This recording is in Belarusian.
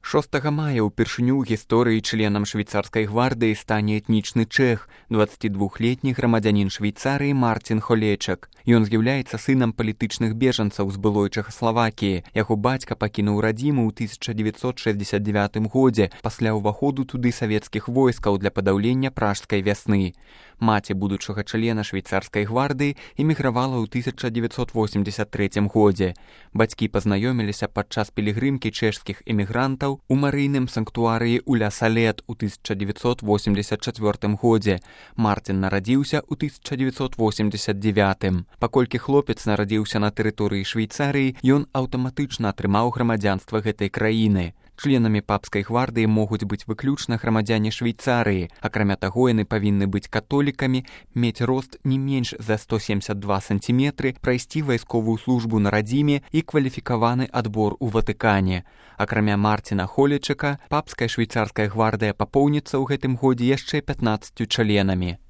6 мая ўпершыню ў гісторыі членам швейцарскай гвардыі стане этнічны чэх, 22-летні грамадзянін Швейцарыі Мартин Холечак. Ён з'яўляецца сынам палітычных бежанцаў з былой Чэхаславакіі. Яго бацька пакінуў радзіму ў 1969 годзе пасля ўваходу туды савецкіх войскаў для падаўлення пражскай вясны. Маці будучага члена швейцарскай гвардыі эмігравала ў 1983 годзе. Бацькі пазнаёміліся падчас пілігрымкі чэшскіх эмігрантаў у марыйным санктуарыі ў Ля-Салет у 1984 годзе. Мартин нарадзіўся ў 1989. Паколькі хлопец нарадзіўся на тэрыторыі Швейцарыі, ён аўтаматычна атрымаў грамадзянства гэтай краіны. Членамі папскай гвардыі могуць быць выключна грамадзяне Швейцарыі. Акрамя таго, яны павінны быць католікамі, мець рост не менш за 172 сантиметры, прайсці вайсковую службу на радзіме і кваліфікаваны адбор у Ватыкане. Акрамя Мартина Холечака, папская швейцарская гвардыя папоўніцца ў гэтым годзе яшчэ 15 членамі.